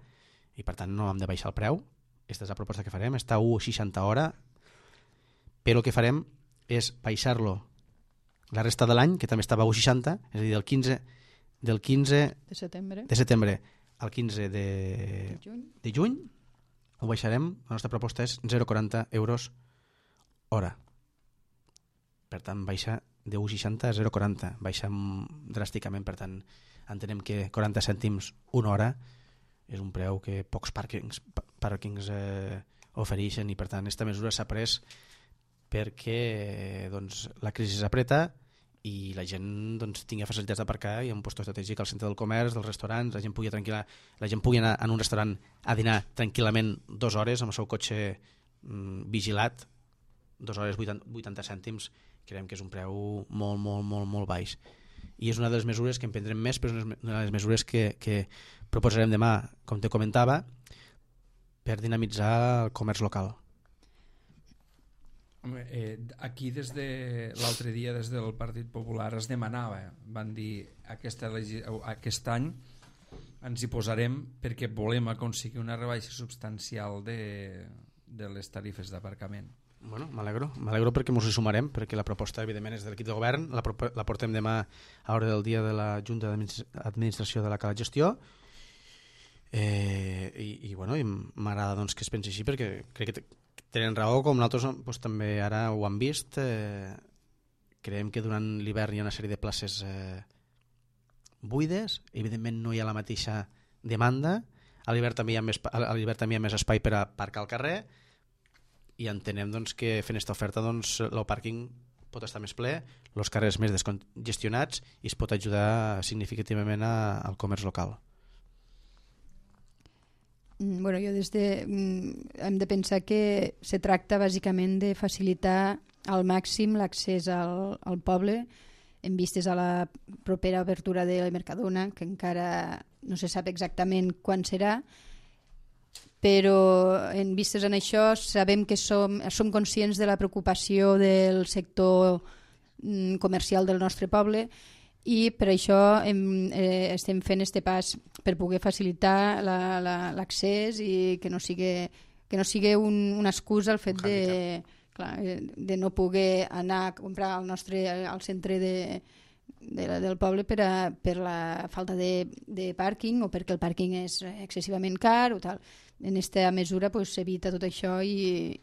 i per tant no hem de baixar el preu. Aquesta és la proposta que farem, està a 1,60 hora, però el que farem és baixar-lo la resta de l'any, que també estava a 1,60, és a dir, del 15 de setembre al 15 de juny, ho baixarem, la nostra proposta és 0,40 euros hora. Per tant, baixa de 1,60 a 0,40, baixa dràsticament, per tant, entenem que 40 cèntims una hora és un preu que pocs pàrquings ofereixen, i per tant, aquesta mesura s'ha pres perquè doncs, la crisi s'apreta i la gent doncs, tingui facilitats d'aparcar i un lloc estratègic al centre del comerç, dels restaurants, la gent pugui anar en un restaurant a dinar tranquil·lament 2 hores amb el seu cotxe vigilat, 2 hores 80 cèntims, creiem que és un preu molt baix. I és una de les mesures que emprendrem més, però és una de les mesures que proposarem demà, com te comentava, per dinamitzar el comerç local. Aquí l'altre dia des del Partit Popular es demanava, van dir aquest any ens hi posarem perquè volem aconseguir una rebaixa substancial de les tarifes d'aparcament. Bueno, m'alegro perquè ens hi sumarem, perquè la proposta evidentment és de l'equip de govern, la portem demà a l'hora del dia de la Junta d'Administració de la Cala Gestió, i m'agrada doncs, que es pensi així, perquè crec que tenen raó, com nosaltres doncs, també ara ho han vist, creiem que durant l'hivern hi ha una sèrie de places buides, evidentment no hi ha la mateixa demanda, a l'hivern també hi ha més espai per aparcar al carrer, i entenem doncs, que fent aquesta oferta el pàrquing pot estar més ple, els carrers més descongestionats, i es pot ajudar significativament al comerç local. Bueno, jo hem de pensar que se tracta bàsicament de facilitar al màxim l'accés al poble en vistes a la propera obertura de la Mercadona, que encara no se sap exactament quan serà, però en vistes en això sabem que som conscients de la preocupació del sector comercial del nostre poble, i per això estem fent este pas per poder facilitar l'accés i que no sigui una excusa el fet de no poder anar a comprar al centre del poble per la falta de pàrquing o perquè el pàrquing és excessivament car o tal. En aquesta mesura s'evita tot això i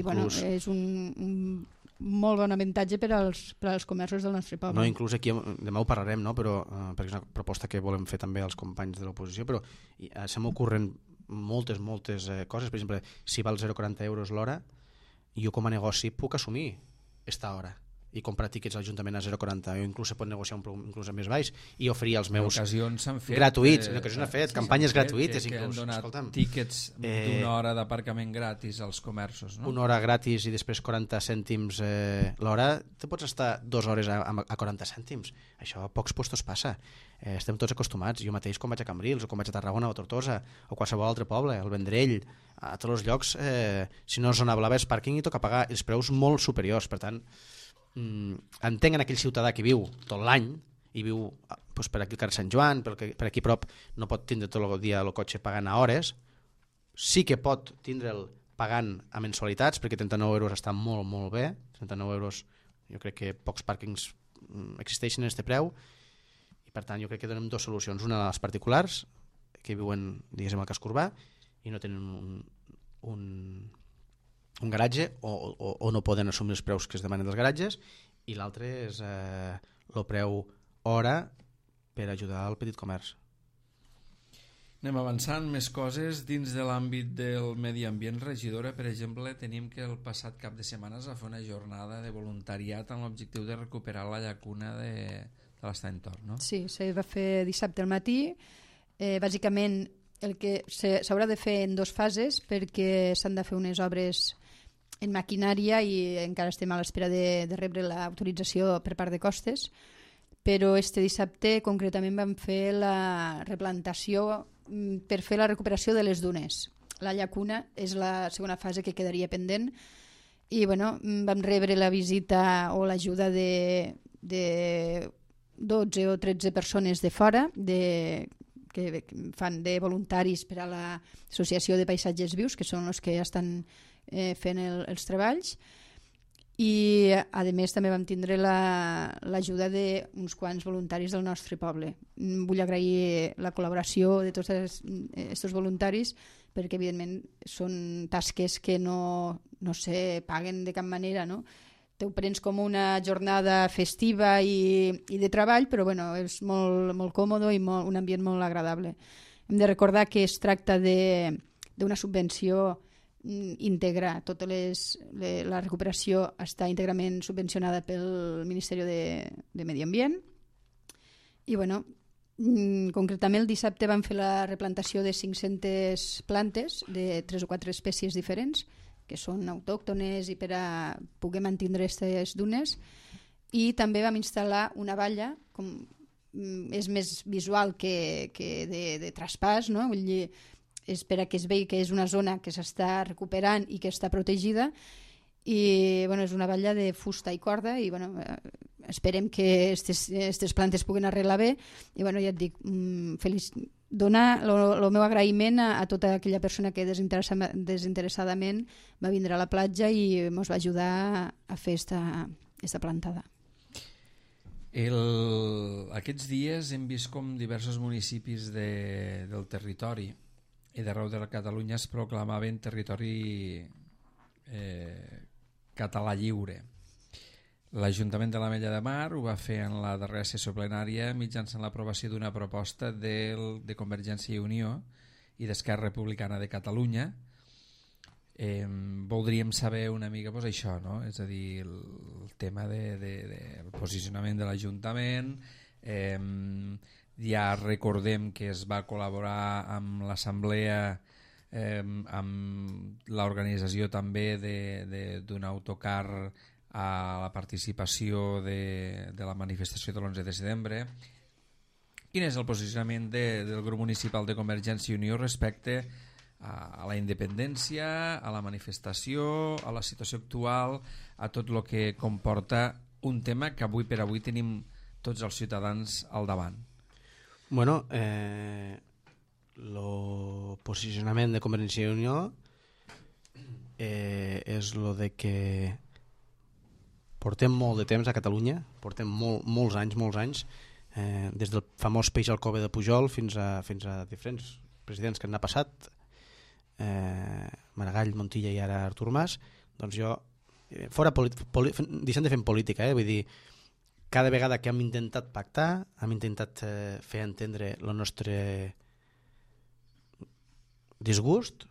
bueno, és un molt bon avantatge per als comerços del nostre poble. No, inclús aquí demà ho parlarem, no? Però, perquè és una proposta que volem fer també als companys de l'oposició, però se m'ocorren moltes coses. Per exemple, si val 0,40 euros l'hora, jo com a negoci puc assumir aquesta hora i comprar tíquets a l'Ajuntament a 0,40, o inclús se pot negociar un preu inclús més baix i oferir els meus gratuïts, en ocasions s'han fet campanyes gratuïtes, que inclús. Han donat tíquets d'una hora d'aparcament gratis als comerços, no? Una hora gratis i després 40 cèntims l'hora, te pots estar 2 hores a 40 cèntims. Això a pocs puestos passa. Estem tots acostumats. Jo mateix quan vaig a Cambrils o quan vaig a Tarragona o a Tortosa o qualsevol altre poble, al Vendrell, a tots els llocs, si no és zona blava és pàrquing i toca pagar els preus molt superiors. Per tant, entenc en aquell ciutadà que viu tot l'any i viu per aquí al carrer Sant Joan, per aquí prop, no pot tindre tot el dia el cotxe pagant a hores. Sí que pot tindre'l pagant a mensualitats, perquè 39 euros està molt, molt bé. 39 euros, jo crec que pocs pàrquings existeixen en aquest preu, i per tant jo crec que donem dues solucions. Una als particulars que viuen, diguéssim, al casc urbà i no tenen un garatge o no poden assumir els preus que es demanen dels garatges, i l'altre és el preu hora per ajudar al petit comerç. Anem avançant més coses dins de l'àmbit del medi ambient. Regidora, per exemple, tenim que el passat cap de setmana es va fer una jornada de voluntariat amb l'objectiu de recuperar la llacuna de l'Estany Tor, no? Sí, se va fer dissabte al matí. Bàsicament el que s'haurà de fer en 2 fases, perquè s'han de fer unes obres en maquinària i encara estem a l'espera de rebre l'autorització per part de Costes, però este dissabte concretament vam fer la replantació per fer la recuperació de les dunes. La llacuna és la segona fase que quedaria pendent, i bueno, vam rebre la visita o l'ajuda de 12 o 13 persones de fora que fan de voluntaris per a l'Associació de Paisatges Vius, que són els que estan fent els treballs, i a més també vam tindre l'ajuda d'uns quants voluntaris del nostre poble. Vull agrair la col·laboració de tots aquests voluntaris, perquè evidentment són tasques que no se paguen de cap manera, no? Te ho prens com una jornada festiva i de treball, però bueno, és molt, molt còmode i un ambient molt agradable. Hem de recordar que es tracta d'una subvenció íntegra. Tota la recuperació està íntegrament subvencionada pel Ministeri de Medi Ambient. I bueno, concretament el dissabte vam fer la replantació de 500 plantes de 3 o 4 espècies diferents, que són autòctones i per a poder mantindre aquestes dunes, i també vam instal·lar una valla, és més visual que de traspàs, no? Vull dir, és per a que es vegi que és una zona que s'està recuperant i que està protegida, i bueno, és una valla de fusta i corda, i bueno, esperem que aquestes plantes puguen arreglar bé, i bueno, ja et dic, donar el meu agraïment a tota aquella persona que desinteressadament va vindre a la platja i ens va ajudar a fer esta plantada. Aquests dies hem vist com diversos municipis del territori i d'arreu de la Catalunya es proclamaven territori català lliure. L'Ajuntament de l'Ametlla de Mar ho va fer en la darrera sessió plenària mitjançant l'aprovació d'una proposta de Convergència i Unió i d'Esquerra Republicana de Catalunya. Voldríem saber una mica això, no? És a dir, el tema del posicionament de l'Ajuntament. Ja recordem que es va col·laborar amb l'Assemblea, amb l'organització també d'un autocar a la participació de la manifestació de l'11 de setembre. Quin és el posicionament del grup municipal de Convergència i Unió respecte a la independència, a la manifestació, a la situació actual, a tot el que comporta un tema que avui per avui tenim tots els ciutadans al davant? Bueno, el posicionament de Convergència i Unió és el de que portem molt de temps a Catalunya, portem molts anys, des del famós peix al cove de Pujol fins a diferents presidents que han passat, Maragall, Montilla i ara Artur Mas. Doncs jo, deixant de fer política, vull dir, cada vegada que hem intentat pactar, hem intentat fer entendre el nostre disgust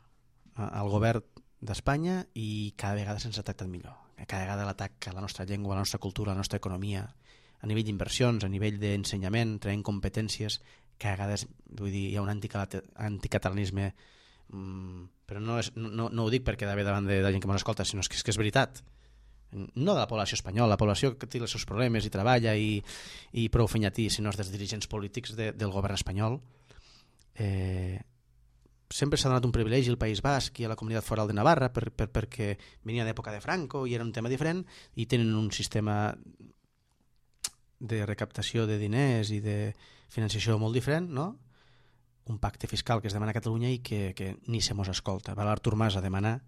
al govern d'Espanya i cada vegada se'ns ha tractat millor. Cada vegada l'atac a la nostra llengua, a la nostra cultura, a la nostra economia, a nivell d'inversions, a nivell d'ensenyament, traient competències, cada vegada vull dir, hi ha un anticatalanisme, però no ho dic perquè d'haver davant de la gent que m'ho escolta, sinó que és veritat. No de la població espanyola, la població que té els seus problemes i treballa i prou fenyatí, sinó dels dirigents polítics del govern espanyol. Sempre s'ha donat un privilegi al País Basc i a la Comunitat Foral de Navarra perquè venia d'època de Franco i era un tema diferent i tenen un sistema de recaptació de diners i de financiació molt diferent, no? Un pacte fiscal que es demana a Catalunya i que ni se mos escolta. Va l'Artur Mas a demanar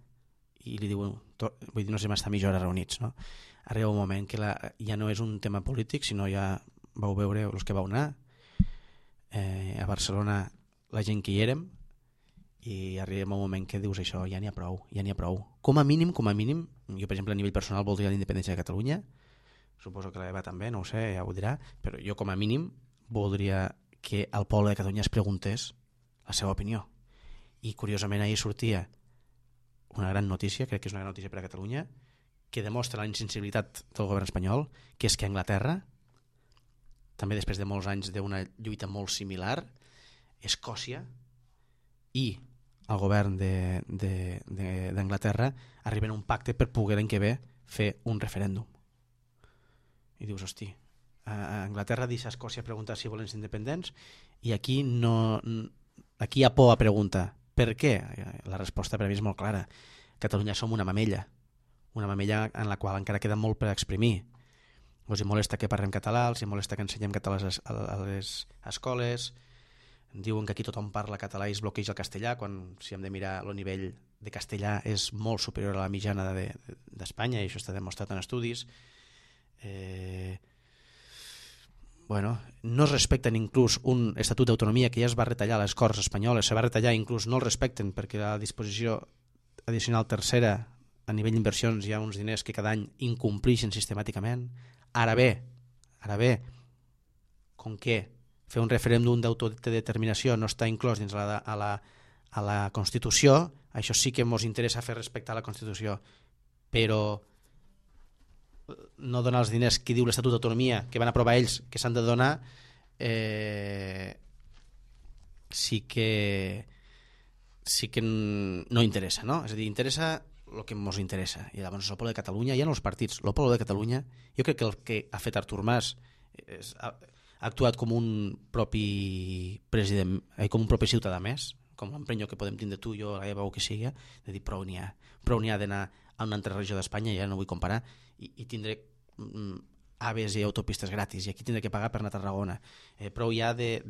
i li diu, vull dir, no sé m'està mitja hora reunits, no? Arriba un moment que ja no és un tema polític, sinó ja vau veure els que vau anar a Barcelona, la gent que hi érem, i arriba un moment que dius això, ja n'hi ha prou. Com a mínim, jo per exemple a nivell personal voldria la independència de Catalunya, suposo que l'Eva també, no ho sé, ja ho dirà, però jo com a mínim voldria que el poble de Catalunya es preguntés la seva opinió. I curiosament ahir sortia una gran notícia, crec que és una gran notícia per a Catalunya, que demostra la insensibilitat del govern espanyol, que és que Anglaterra, també després de molts anys d'una lluita molt similar, Escòcia i el govern d'Anglaterra arriben a un pacte per poder l'any que ve fer un referèndum. I dius, hosti, a Anglaterra deixa a Escòcia preguntar si volen ser independents i aquí hi ha por a preguntar per què? La resposta per a mi és molt clara. Catalunya som una mamella en la qual encara queda molt per exprimir. Us hi molesta que parlem català, els hi molesta que ensenyem català a les escoles, diuen que aquí tothom parla català i es bloqueja el castellà, quan si hem de mirar el nivell de castellà és molt superior a la mitjana d'Espanya i això està demostrat en estudis. No es respecten inclús un estatut d'autonomia que ja es va retallar a les Corts espanyoles, se va retallar, inclús no el respecten perquè la disposició addicional tercera a nivell d'inversions hi ha uns diners que cada any incompleixen sistemàticament. Ara bé, com que fer un referèndum d'autodeterminació no està inclòs dins a la Constitució, això sí que ens interessa fer respectar la Constitució, però no donar els diners que diu l'Estatut d'Autonomia que van aprovar ells, que s'han de donar, sí que no interessa, no? És a dir, interessa el que ens interessa. I llavors el poble de Catalunya, ja no els partits, el poble de Catalunya, jo crec que el que ha fet Artur Mas ha actuat com un propi president, com un propi ciutadà més, com l'emprenyo que podem tindre tu, jo, la Eva o que sigui, de dir prou n'hi ha d'anar a una altra regió d'Espanya, ja no vull comparar, i tindré aves i autopistes gratis, i aquí tindré que pagar per anar a Tarragona. Prou ja de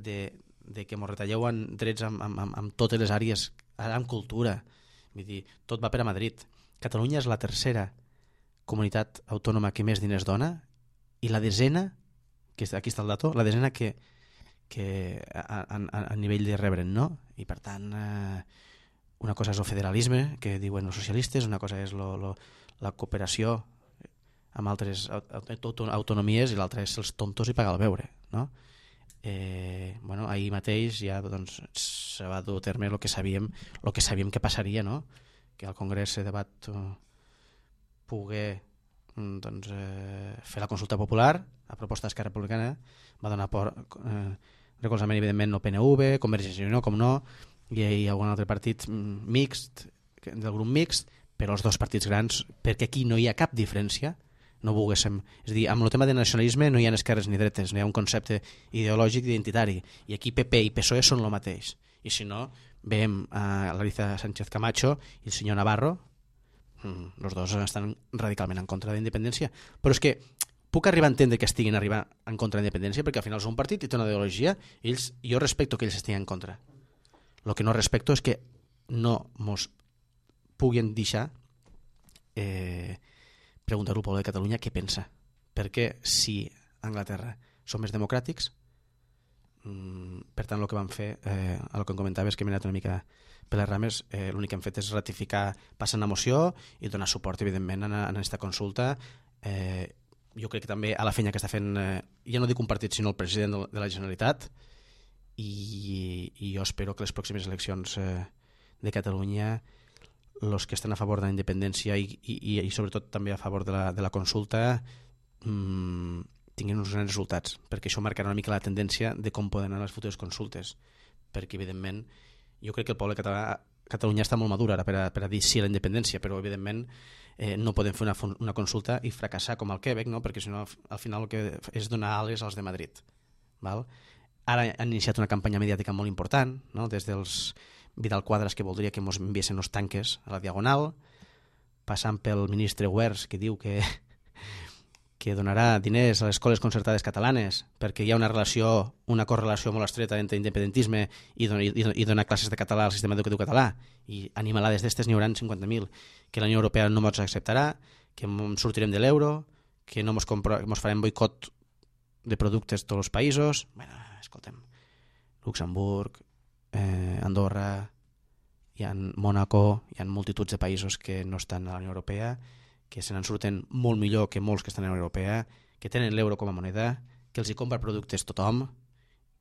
que ens retalleu en drets amb totes les àrees, ara amb cultura, vull dir, tot va per a Madrid. Catalunya és la tercera comunitat autònoma que més diners dona i la desena, que aquí està el dato, la desena que a nivell de rebre'n, no? I per tant, una cosa és el federalisme, que diuen els socialistes, una cosa és la cooperació amb altres autonomies, i l'altra és els tontos i pagar el beure, no? Ahir mateix ja doncs, se va dur a terme el que sabíem que passaria, no? Que al Congrés de debat poguer fer la consulta popular a proposta d'Esquerra Republicana, va donar recolzament evidentment no PNV, Convergència i Unió, com no, i algun altre partit mixt, del grup mixt, però els dos partits grans, perquè aquí no hi ha cap diferència, no volguéssim. És a dir, amb el tema de nacionalisme no hi ha esquerres ni dretes, no hi ha un concepte ideològic identitari, i aquí PP i PSOE són el mateix. I si no, veiem a Larissa Sánchez Camacho i el senyor Navarro, els dos estan radicalment en contra de la independència. Però és que puc arribar a entendre que estiguin arribant en contra de la independència, perquè al final és un partit i té una ideologia, jo respecto que ells estiguin en contra. El que no respecto és que no mos puguin deixar preguntar al poble de Catalunya què pensa, perquè si a Anglaterra són més democràtics, per tant el que van fer, el que em comentaves que m'he anat una mica per les rames, l'únic que han fet és ratificar, passar una moció i donar suport evidentment a aquesta consulta. Jo crec que també a la feina que està fent, ja no dic un partit sinó el president de la Generalitat, i jo espero que les pròximes eleccions de Catalunya, els que estan a favor de la independència i sobretot també a favor de la consulta, tinguin uns grans resultats, perquè això marcarà una mica la tendència de com poden anar les futures consultes, perquè evidentment jo crec que el poble català, Catalunya està molt madura ara per a dir sí a la independència, però evidentment no podem fer una consulta i fracassar com el Quebec, no? Perquè si no al final el que és donar ales als de Madrid, val? Ara han iniciat una campanya mediàtica molt important, no? Des dels Vidal Quadras, que voldria que ens enviessin els tanques a la Diagonal, passant pel ministre Wers, que diu que donarà diners a les escoles concertades catalanes perquè hi ha una correlació molt estreta entre independentisme i donar classes de català al sistema educatiu català, i animalades d'estes n'hi haurà 50.000, que la Unió Europea no ens acceptarà, que sortirem de l'euro, que no ens farem boicot de productes de tots els països. Bueno, escoltem, Luxemburg, Andorra, hi ha Mònaco, hi ha multituds de països que no estan a la Unió Europea, que se n'en surten molt millor que molts que estan a la Unió Europea, que tenen l'euro com a moneda, que els hi compra productes tothom,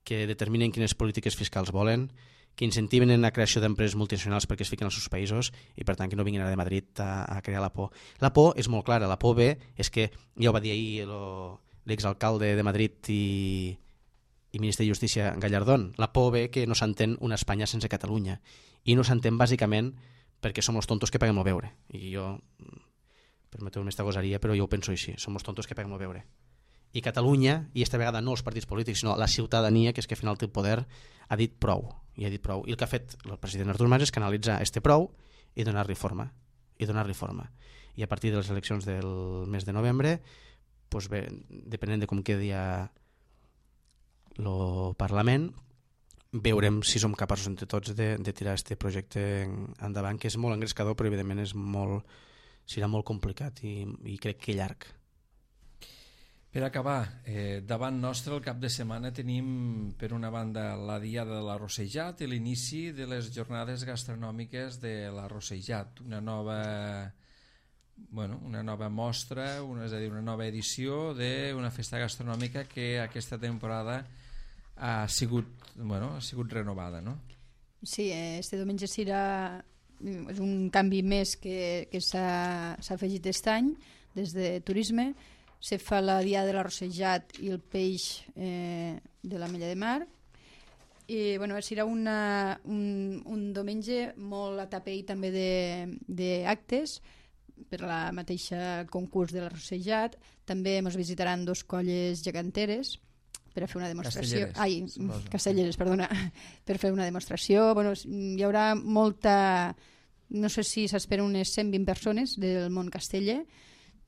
que determinen quines polítiques fiscals volen, que incentiven la creació d'empreses multinacionals perquè es fiquen als seus països, i per tant que no vinguin ara de Madrid a crear la por. La por és molt clara, la por ve és que, ja ho va dir ahir l'exalcalde de Madrid i ministre de Justícia Gallardón, la por ve que no s'entén una Espanya sense Catalunya, i no s'entén bàsicament perquè som els tontos que paguem el beure, i jo permeteu-me esta gosaria, però jo ho penso així, som els tontos que paguem el beure. I Catalunya, i esta vegada no els partits polítics, sinó la ciutadania, que és que al final té el poder, ha dit prou, i el que ha fet el president Artur Mas és canalitzar este prou i donar-li forma, i a partir de les eleccions del mes de novembre, doncs bé, depenent de com quedi el Parlament, veurem si som capaços entre tots de tirar aquest projecte endavant, que és molt engrescador, però evidentment serà molt complicat i crec que llarg. Per acabar, davant nostre el cap de setmana tenim per una banda la Diada de l'Arrossejat i l'inici de les jornades gastronòmiques de l'Arrossejat, una nova mostra, és a dir, una nova edició d'una festa gastronòmica que aquesta temporada ha sigut renovada, no? Sí, este diumenge serà un canvi més que s'ha afegit aquest any des de turisme. Se fa la Diada de l'Arrossejat i el peix de l'Ametlla de Mar, i serà un diumenge molt atapeït també d'actes per la mateixa concurs de l'Arrossejat. També ens visitaran 2 colles geganteres per a fer una demostració. Castelleres, perdona, per fer una demostració. Hi haurà molta, no sé si s'esperen unes 120 persones del món casteller,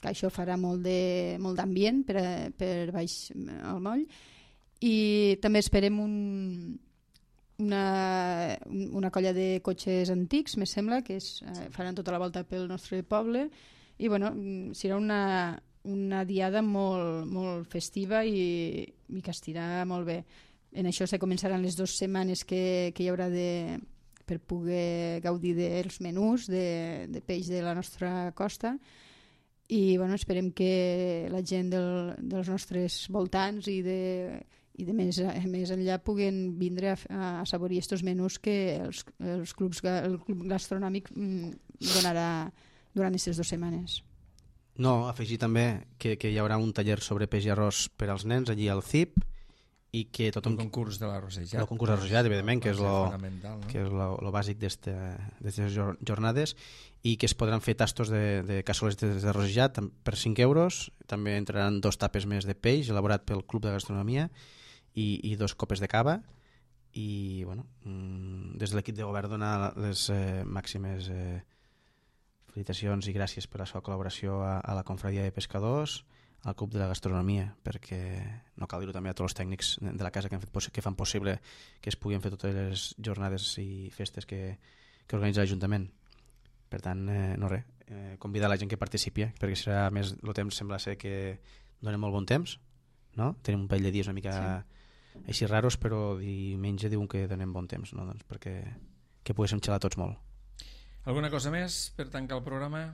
que això farà molt d'ambient per baix al moll, i també esperem una colla de cotxes antics, me sembla, que faran tota la volta pel nostre poble, i serà una diada molt festiva i que estirà molt bé. En això se començaran les 2 setmanes que hi haurà per poder gaudir dels menús de peix de la nostra costa, i bueno, esperem que la gent dels nostres voltants i de més enllà puguen vindre a assaborir aquests menús que el club gastronòmic donarà durant aquestes 2 setmanes. No, afegir també que hi haurà un taller sobre peix i arròs per als nens allí al CIP i que tothom... El concurs de l'arrossejat. El concurs de l'arrossejat, evidentment, que és no? lo bàsic d'aquestes jornades, i que es podran fer tastos de cassoles d'arrossejat per 5 euros. També entraran 2 tapes més de peix elaborat pel Club de Gastronomia i 2 copes de cava. I bueno, des de l'equip de govern donar les màximes felicitacions i gràcies per la seva col·laboració a la Confraria de Pescadors, al Club de la Gastronomia, perquè no cal dir-ho també a tots els tècnics de la casa que fan possible que es puguin fer totes les jornades i festes que organitza l'Ajuntament. Per tant, no res, convidar la gent que participi, perquè serà més, el temps sembla ser que dona molt bon temps, no? Tenim un parell de dies una mica així raros, però diumenge diuen que donem bon temps, no? Doncs perquè que poguéssim xalar tots molt. Alguna cosa més per tancar el programa?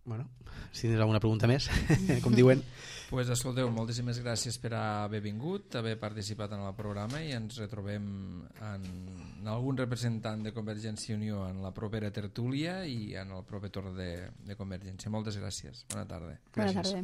Bueno, si tens alguna pregunta més, com diuen. Pues escolteu, moltíssimes gràcies per haver vingut, haver participat en el programa, i ens retrobem en algun representant de Convergència i Unió en la propera tertúlia i en el proper torn de Convergència. Moltes gràcies. Bona tarda. Bona tarda.